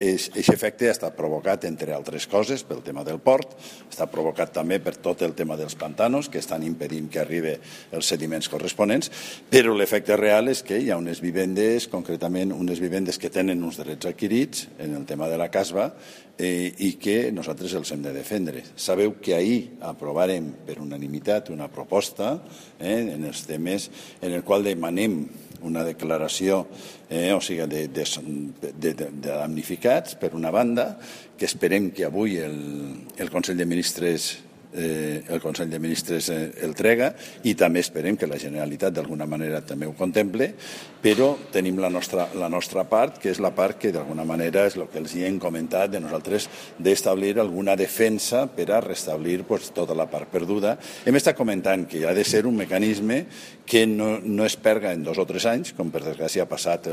Aquest efecte ha estat provocat, entre altres coses, pel tema del port, està provocat també per tot el tema dels pantanos, que estan impedint que arribi els sediments corresponents, però l'efecte real és que hi ha unes vivendes, concretament unes vivendes que tenen uns drets adquirits en el tema de la casba i que nosaltres els hem de defendre. Sabeu que ahir aprovarem per unanimitat una proposta en els temes en el qual demanem una declaració de damnificats, per una banda, que esperem que avui el Consell de Ministres el trega i també esperem que la Generalitat d'alguna manera també ho contemple, però tenim la nostra part, que és la part que d'alguna manera és el que els hi hem comentat de nosaltres d'establir alguna defensa per a restablir tota la part perduda. Hem estat comentant que ha de ser un mecanisme que no es perga en 2 o 3 anys, com per desgràcia ha passat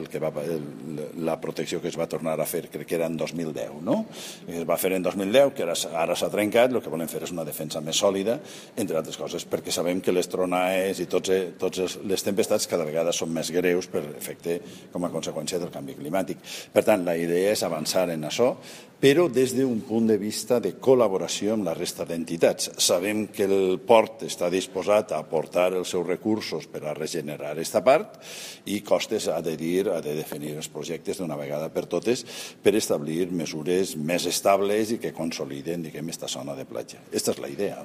la protecció que es va tornar a fer, crec que era en 2010, no? Es va fer en 2010, que ara s'ha trencat, el que volem fer és una defensa més sòlida, entre altres coses, perquè sabem que les tronades i totes les tempestats cada vegada són més greus per efecte com a conseqüència del canvi climàtic. Per tant, la idea és avançar en això, però des d'un punt de vista de col·laboració amb la resta d'entitats. Sabem que el port està disposat a aportar els seus recursos per a regenerar aquesta part i Costes ha de definir els projectes d'una vegada per totes per establir mesures més estables i que consoliden, diguem, aquesta zona de platja. Aquesta és la idea.